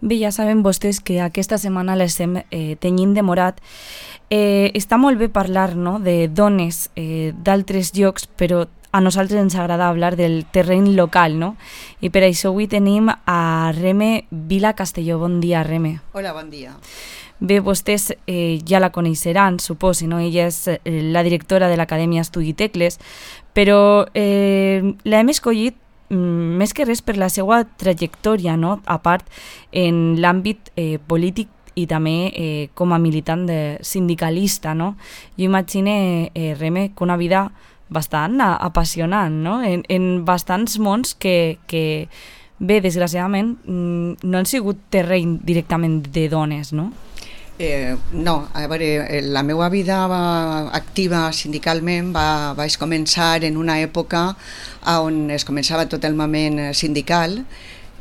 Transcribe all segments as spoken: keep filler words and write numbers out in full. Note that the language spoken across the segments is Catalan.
Bé, ja saben vostès que aquesta setmana l'estem eh, tenyint de morat. Eh, està molt bé parlar, no?, de dones eh, d'altres llocs, però a nosaltres ens agrada parlar del terreny local, no? I per això avui tenim a Reme Vila Castelló. Bon dia, Reme. Hola, bon dia. Bé, vostès eh, ja la coneixeran, suposo, no? Ella és eh, la directora de l'Acadèmia Estudi Tecles, però eh, l'hem escollit mm, més que res per la seva trajectòria, no?, a part en l'àmbit eh, polític i també eh, com a militant de sindicalista, no? Jo imagine, eh, Reme, que una vida bastant apassionant, no?, en, en bastants mons que, que bé, desgraciadament, no han sigut terreny directament de dones, no? Eh, no, a veure, la meva vida va, activa sindicalment va, vaig començar en una època on es començava tot el moment sindical.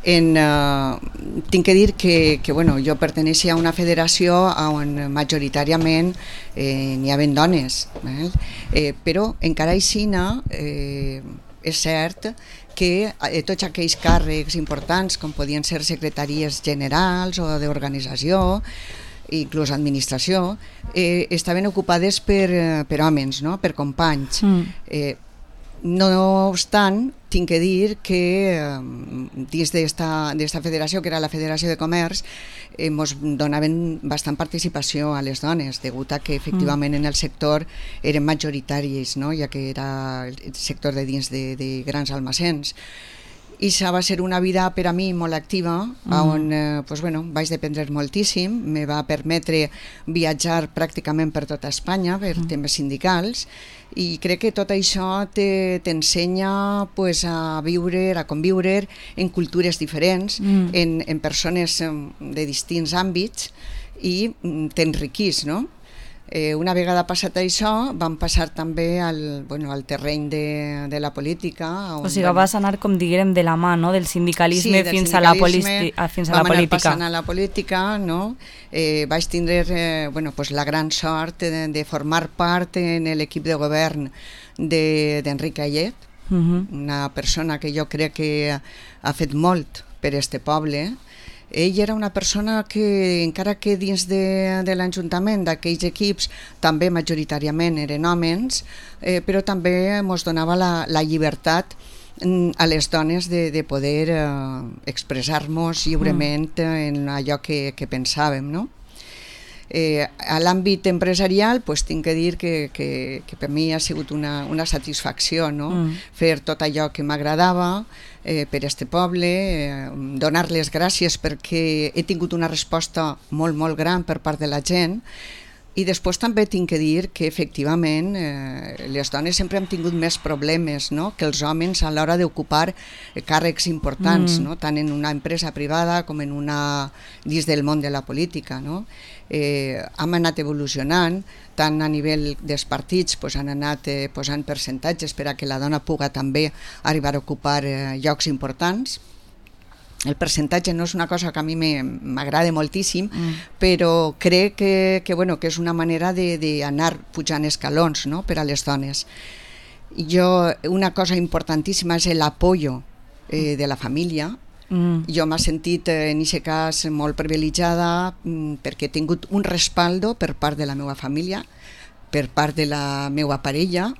En, eh, tinc que dir que, que bueno, jo perteneixia a una federació on majoritàriament eh, n'hi havia dones, eh? Eh, però encara així eh, és cert que eh, tots aquells càrrecs importants com podien ser secretaries generals o d'organització, inclús administració, eh, estaven ocupades per, per homes, no?, per companys. Mm. Eh, no obstant, tinc que dir que eh, dins d'esta federació, que era la Federació de Comerç, eh, ens donaven bastant participació a les dones, degut a que efectivament mm. en el sector eren majoritaris, no?, ja que era el sector de dins de, de grans almacens. I això va ser una vida per a mi molt activa, mm. on eh, pues, bueno, vaig dependre moltíssim, me va permetre viatjar pràcticament per tota Espanya per mm. temes sindicals, i crec que tot això t'ensenya te, pues, a viure, a conviure en cultures diferents, mm. en, en persones de distints àmbits, i t'enriquís, no? Eh, una vegada passat això, vam passar també al, bueno, al terreny de, de la política. On, o sigui, bueno, vas anar, com diguem, de la mà, no?, del sindicalisme, sí, del fins, sindicalisme a la fins a la política. Vam anar passant a la política, no? Eh, vaig tindre eh, bueno, pues, la gran sort de, de formar part en l'equip de govern d'Enric Ayet, uh -huh. una persona que jo crec que ha fet molt per este poble. Ell era una persona que, encara que dins de, de l'Ajuntament, d'aquells equips, també majoritàriament eren homes, eh, però també ens donava la, la llibertat a les dones de, de poder eh, expressar-nos lliurement en allò que, que pensàvem, no? Eh, a l'àmbit empresarial, pues, tinc que dir que, que, que per mi ha sigut una, una satisfacció, no? Mm. Fer tot allò que m'agradava eh, per este poble, eh, donar les gràcies perquè he tingut una resposta molt, molt gran per part de la gent. I després també tinc que dir que efectivament eh, les dones sempre han tingut més problemes, no?, que els homes a l'hora d'ocupar eh, càrrecs importants, mm. no?, tant en una empresa privada com en una dins del món de la política, no? Eh, hem anat evolucionant, tant a nivell dels partits pues, han anat eh, posant percentatges per a que la dona puga també arribar a ocupar eh, llocs importants. El percentatge no és una cosa que a mi m'agrada moltíssim, mm. però crec que, que, bueno, que és una manera d'anar pujant escalons, no?, per a les dones. Jo, una cosa importantíssima és l'apoyo eh, de la família. Mm. Jo m'he sentit eh, en aquest cas molt privilegiada mm, perquè he tingut un respaldo per part de la meva família, per part de la meva parella,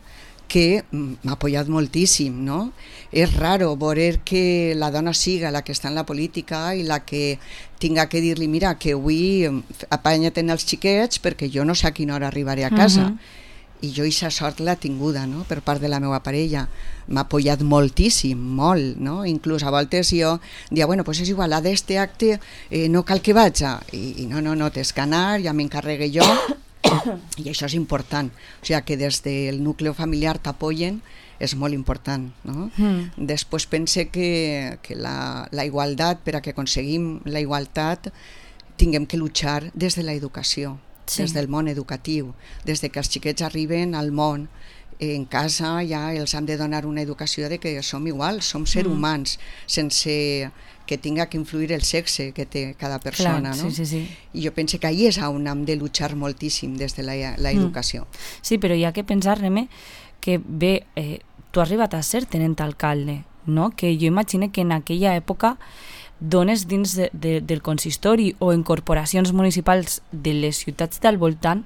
que m'ha apoyat moltíssim, no? És raro veure que la dona siga la que està en la política i la que tinga que dir-li, mira, que avui apanya't en els xiquets perquè jo no sé a quina hora arribaré a casa. Uh-huh. I jo aquesta sort l'he tinguda, no?, per part de la meva parella. M'ha apoyat moltíssim, molt, no? Inclús a voltes jo dia, bueno, pues és igual, a d'este acte eh, no cal que vaja. I, i no, no, no, tens que anar, ja m'encarregue jo. I això és important, o sigui que des del nucli familiar t'apoyen és molt important, no? Mm. Després pense que, que la, la igualtat, per a que aconseguim la igualtat, tinguem que luchar des de l'educació, sí. des del món educatiu, des de que els xiquets arriben al món. En casa ja els hem de donar una educació de que som iguals, som ser mm. humans, sense que tinga que influir el sexe que té cada persona. Clar, no? sí, sí, sí. I jo penso que ahí és on hem de luchar moltíssim des de l'educació. Mm. Sí, però hi ha que pensar, Reme, que bé, eh, tu has arribat a ser tenent alcalde, no? Que jo imagino que en aquella època dones dins de, de, del consistori o en corporacions municipals de les ciutats del voltant,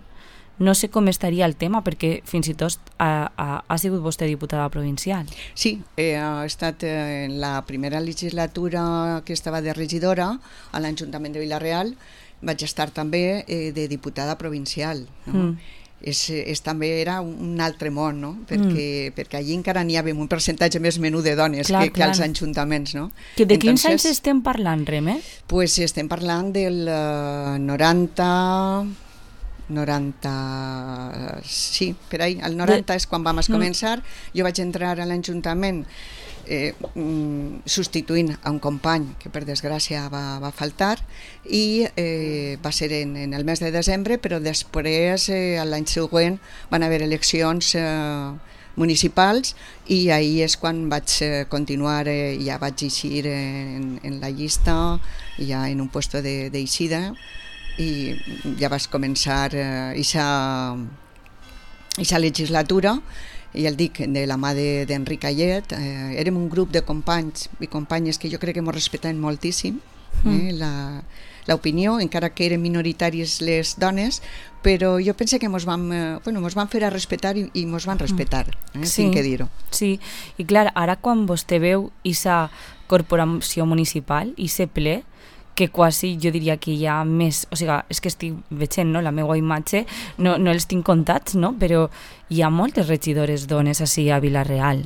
no sé com estaria el tema, perquè fins i tot ha, ha, ha sigut vostè diputada provincial. Sí, he estat en la primera legislatura que estava de regidora a l'Ajuntament de Vila-real, vaig estar també eh, de diputada provincial, no? Mm. És, és, també era un altre món, no? perquè, mm. perquè allí encara n'hi havia un percentatge més menú de dones clar, que, que als ajuntaments. No? Que de quins anys estem parlant, Reme? Pues estem parlant del uh, noranta... noranta... Sí, per ahí. El noranta de... és quan vam començar. Mm. Jo vaig entrar a l'Ajuntament Eh, substituint a un company que per desgràcia va, va faltar i eh, va ser en, en el mes de desembre, però després eh, l'any següent van haver eleccions eh, municipals i ahir és quan vaig eh, continuar, eh, ja vaig eixir en, en la llista, ja en un puesto d'eixida i ja vaig començar aquesta eh, legislatura. I el dic, de la mà d'Enric Ayet, eh, érem un grup de companys i companyes que jo crec que ens respectaven moltíssim eh, l'opinió, encara que eren minoritaris les dones, però jo penso que ens vam, eh, bueno, mos van fer a respectar i, i ens van respectar, eh, sí, tinc que dir-ho. Sí, i clar, ara quan vostè veu aquesta corporació municipal, aquest ple, que quasi jo diria que hi ha més, o sigui, és que estic veient, no?, la meva imatge, no, no els tinc comptats, no?, però hi ha moltes regidores dones així a Vila-real.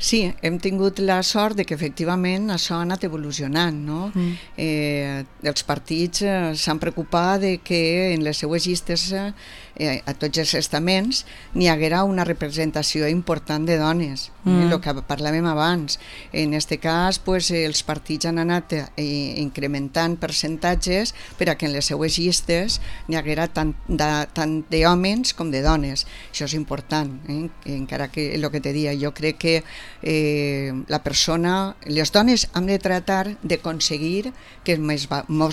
Sí, hem tingut la sort de que efectivament això ha anat evolucionant, no? Mm. Eh, els partits eh, s'han preocupat de que en les seues llistes eh, a tots els estaments n'hi haguera una representació important de dones, mm. eh, el que parlàvem abans. En aquest cas, pues, els partits han anat eh, incrementant percentatges per a que en les seues llistes n'hi haguera tant de, tant d'homes com de dones. Això és important, eh? Encara que el que te dia, jo crec que eh, la persona, les dones hem de tratar d'aconseguir que ens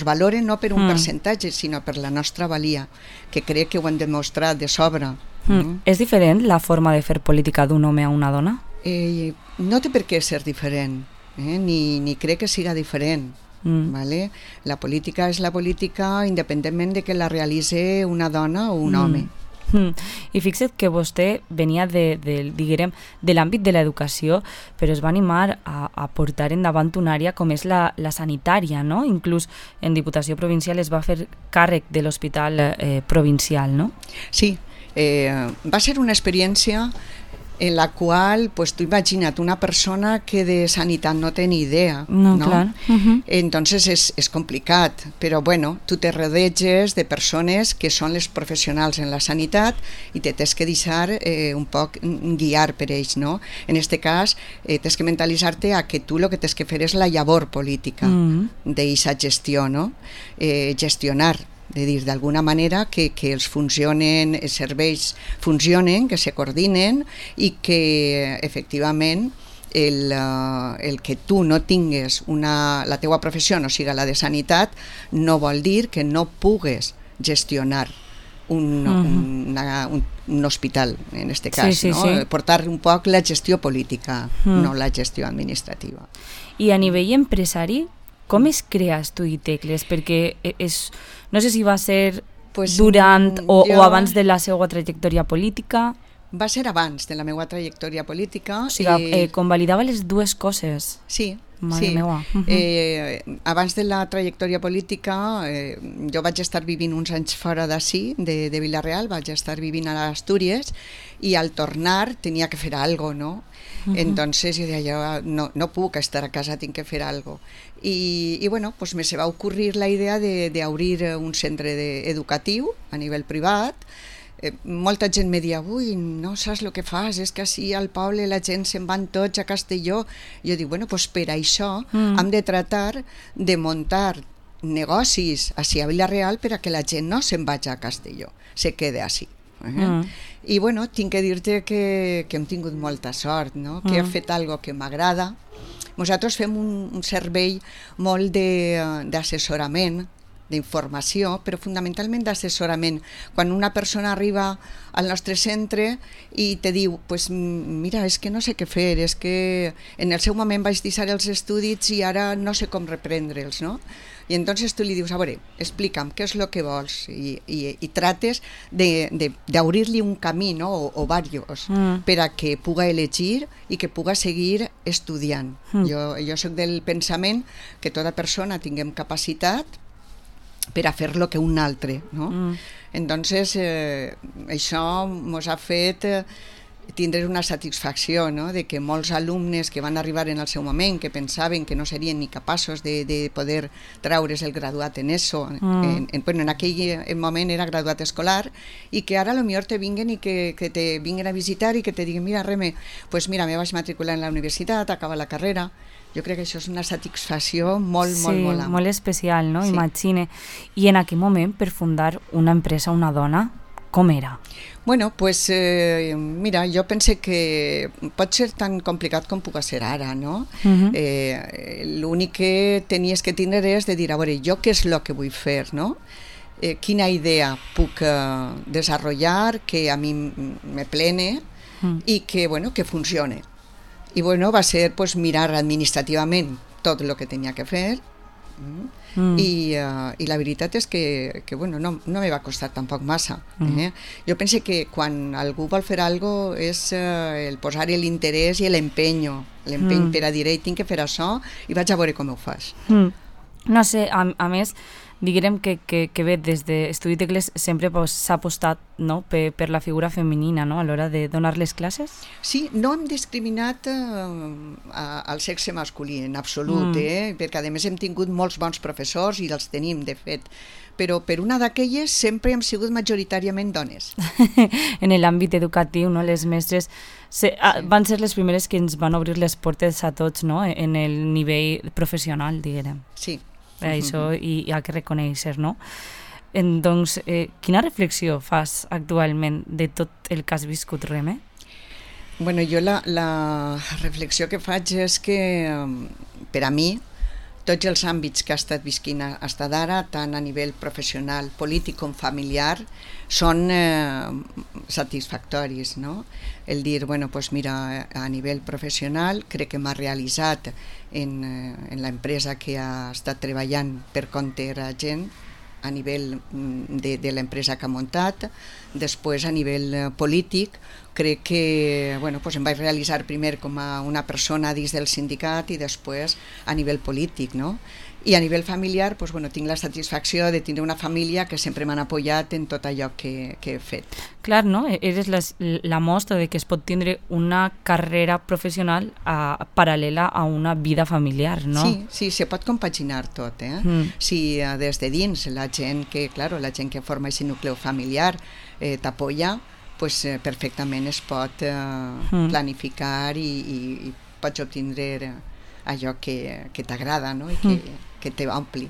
valoren no per un mm. percentatge, sinó per la nostra valia, que crec que ho hem demostrat de sobre. Mm. Mm. És diferent la forma de fer política d'un home a una dona? Eh, no té per què ser diferent, eh? ni, ni crec que siga diferent. Mm. Vale? La política és la política independentment de que la realitzi una dona o un mm. home. Mm. I fixa't que vostè venia de, de, diguem, de l'àmbit de l'educació, però es va animar a, a portar endavant una àrea com és la, la sanitària, no? Inclús en Diputació Provincial es va fer càrrec de l'hospital eh, provincial, no? Sí, eh, va ser una experiència en la qual, pues, tu imagina't una persona que de sanitat no té ni idea, no? no? Clar. Uh-huh. Entonces és, és complicat, però bueno, tu te rodeges de persones que són les professionals en la sanitat i te tens que deixar eh, un poc guiar per ells, no? En este cas, eh, tens que mentalitzar-te a que tu el que tens que fer és la llavor política uh-huh. d'aquesta gestió, no? Eh, gestionar, de dir, d'alguna manera que, que els funcionen, els serveis funcionen, que se coordinen i que efectivament el, uh, el que tu no tingues una, la teua professió, no siga la de sanitat, no vol dir que no pugues gestionar un, uh-huh. una, un, un hospital, en aquest cas, sí, sí, no? sí. Portar un poc la gestió política, uh-huh. no la gestió administrativa. I a nivell empresari, com es crea Estuditecles? Perquè és, no sé si va ser pues, durant o, jo... o abans de la seva trajectòria política. Va ser abans de la meva trajectòria política. O sigui, i... eh, convalidava les dues coses. Sí, Mare sí. meua. Uh-huh. Eh, abans de la trajectòria política, eh, jo vaig estar vivint uns anys fora d'ací, de, de Vila-real, vaig estar vivint a Astúries, i al tornar tenia que fer alguna cosa, no? Uh-huh. Entonces yo decía, no, no puc estar a casa, tinc que fer algo. I, i bueno, pues me se va ocurrir la idea de, de obrir un centre de, educatiu a nivell privat. Eh, molta gent me dia, ui, no saps el que fas, és que així al poble la gent se'n van tots a Castelló. Jo dic, bueno, pues per això mm. hem de tratar de muntar negocis així a Vila-real per a que la gent no se'n vagi a Castelló, se quede així. Eh? Mm. I bueno, tinc que dir-te que, que hem tingut molta sort, no? Que mm. he fet algo que m'agrada. Nosaltres fem un, un servei molt d'assessorament d'informació, però fonamentalment d'assessorament. Quan una persona arriba al nostre centre i te diu, pues, mira, és que no sé què fer, és que en el seu moment vaig deixar els estudis i ara no sé com reprendre'ls, no? I entonces tu li dius, a veure, explica'm què és el que vols, i, i, i trates d'obrir-li un camí, no? o, o diversos, mm. per a que puga elegir i que puga seguir estudiant. Mm. Jo, jo soc del pensament que tota persona tinguem capacitat per a fer lo que un altre, no? Mm. Entonces, eh, això ens ha fet eh, tindre una satisfacció, no? De que molts alumnes que van arribar en el seu moment, que pensaven que no serien ni capaços de, de poder traure's el graduat en eso, mm. en, en, bueno, en aquell moment era graduat escolar, i que ara potser te vinguen i que, que te vinguen a visitar i que te diguen, mira, Reme, pues mira, me vaig matricular en la universitat, acaba la carrera. Jo crec que això és una satisfacció molt, sí, molt, molt ampla. Molt especial, no? Sí. Imagine. I en aquell moment, per fundar una empresa, una dona, com era? Bueno, pues eh, mira, jo pense que pot ser tan complicat com puga ser ara, no? Uh-huh. eh, L'únic que tenies que tindre és de dir, a veure, jo què és el que vull fer, no? Eh, quina idea puc eh, desenvolupar que a mi me plene uh-huh. i que, bueno, que funcione. I bueno, va ser pues, mirar administrativament tot el que tenia que fer, Mm. I, uh, i la veritat és que, que bueno, no, no me va costar tampoc massa. Mm. Eh? Jo penso que quan algú vol fer alguna cosa és uh, el posar l'interès i l'empenyo, l'empeny mm. per a dir, ei, tinc que fer això i vaig a veure com ho fas. Mm. No sé, a, a més, diguem que, que, que bé, des d'Estudi Tecles sempre pues, s'ha apostat, no? per, per la figura femenina, no? A l'hora de donar les classes. Sí, no hem discriminat eh, al sexe masculí en absolut, mm. eh? perquè a més hem tingut molts bons professors i els tenim, de fet, però per una d'aquelles sempre hem sigut majoritàriament dones. En l'àmbit educatiu, no? Les mestres se, a, sí. van ser les primeres que ens van obrir les portes a tots, no? En el nivell professional, diguem. Sí. Això hi, hi ha que reconèixer, no? En, doncs, eh, quina reflexió fas actualment de tot el que has viscut, Reme? Bueno, jo la, la reflexió que faig és que per a mi tots els àmbits que ha estat visquint fins d'ara, tant a nivell professional, polític com familiar, són eh, satisfactoris, no? El dir, bueno, pues mira, a nivell professional crec que m'ha realitzat en, en l'empresa que ha estat treballant per compte de la gent, a nivell de, de l'empresa que ha muntat. Després, a nivell polític, crec que bueno, pues em vaig realitzar primer com a una persona dins del sindicat i després a nivell polític, no? I a nivell familiar, pues, bueno, tinc la satisfacció de tindre una família que sempre m'han apoyat en tot allò que, que he fet. Clar, no? Eres la, la mostra de que es pot tindre una carrera professional a, paral·lela a una vida familiar, no? Sí, sí, se pot compaginar tot, eh? Mm. Si uh, des de dins la gent que, claro, la gent que forma aquest nucleu familiar eh, t'apoya, pues, eh, perfectament es pot eh, mm. planificar i, i, i pots obtindre allò que, que t'agrada, no? I que, mm. que t'ompli.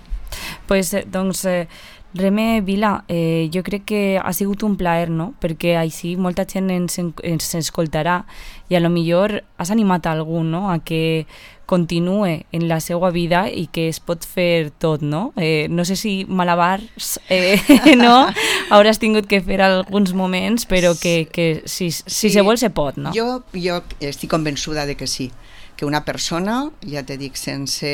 Pues, doncs, eh, Reme Vila, eh, jo crec que ha sigut un plaer, no? Perquè així molta gent ens, ens escoltarà i a lo millor has animat a algú, no? A que continue en la seva vida i que es pot fer tot, no? Eh, no sé si malabars, eh, no? Hauràs tingut que fer alguns moments, però que, que si, si sí. se vol se pot, no? Jo, jo estic convençuda de que sí, que una persona, ja te dic, sense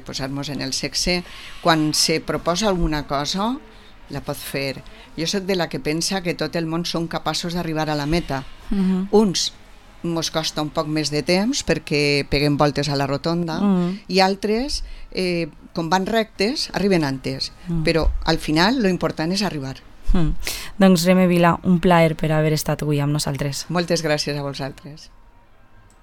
posar-nos en el sexe, quan se proposa alguna cosa, la pot fer. Jo soc de la que pensa que tot el món són capaços d'arribar a la meta. Uh-huh. Uns mos costa un poc més de temps perquè peguem voltes a la rotonda uh-huh. i altres, eh, com van rectes, arriben antes. Uh-huh. Però al final lo important és arribar. Uh-huh. Doncs Reme Vila, un plaer per haver estat avui amb nosaltres. Moltes gràcies a vosaltres.